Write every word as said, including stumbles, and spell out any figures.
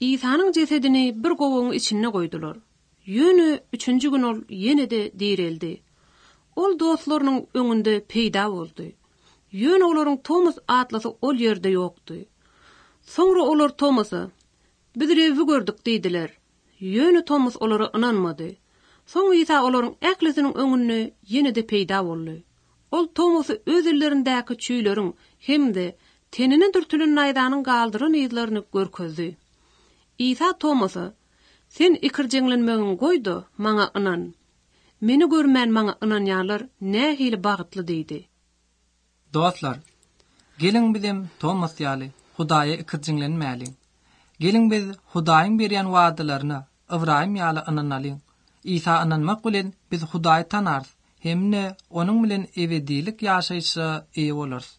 Isanyň jesedini bir gowagyň içinde goýdular. Ýöne üçünji gün ol ýene-de direldi. Ol dostlarynyň öňünde peýda boldy. Ýöne olaryň Tomas atlysy ol ýerde ýokdy. Soňra olar Tomasa, Biz Rebbi gördük diýdiler. Ýöne Tomas olara ynanmady. Soň Isa olaryň ählisiniň öňünde ýene-de peýda boldy. Ol Tomasy öz ellerindäki çüýleriň hem-de tenine dürtülen naýzanyň galdyran yzlaryny görkezdi. Isa Tomasa, Sen ikirjeňlenmegiňi goý-da, maňa ynan. Meni görmän maňa ynanýanlar nähili bagtly diýdi. Dostlar, geliň bizem Tomas ýaly Hudaýa ikirjiňlenmäliň. Geliň biz Hudaýyň berýän wadalaryna Ybraýym ýaly ynanalyň. Isa ynanmak bilen biz Hudaýy tanarys hem-de onuň bilen ebedilik ýaşaýşa eýe bolarys.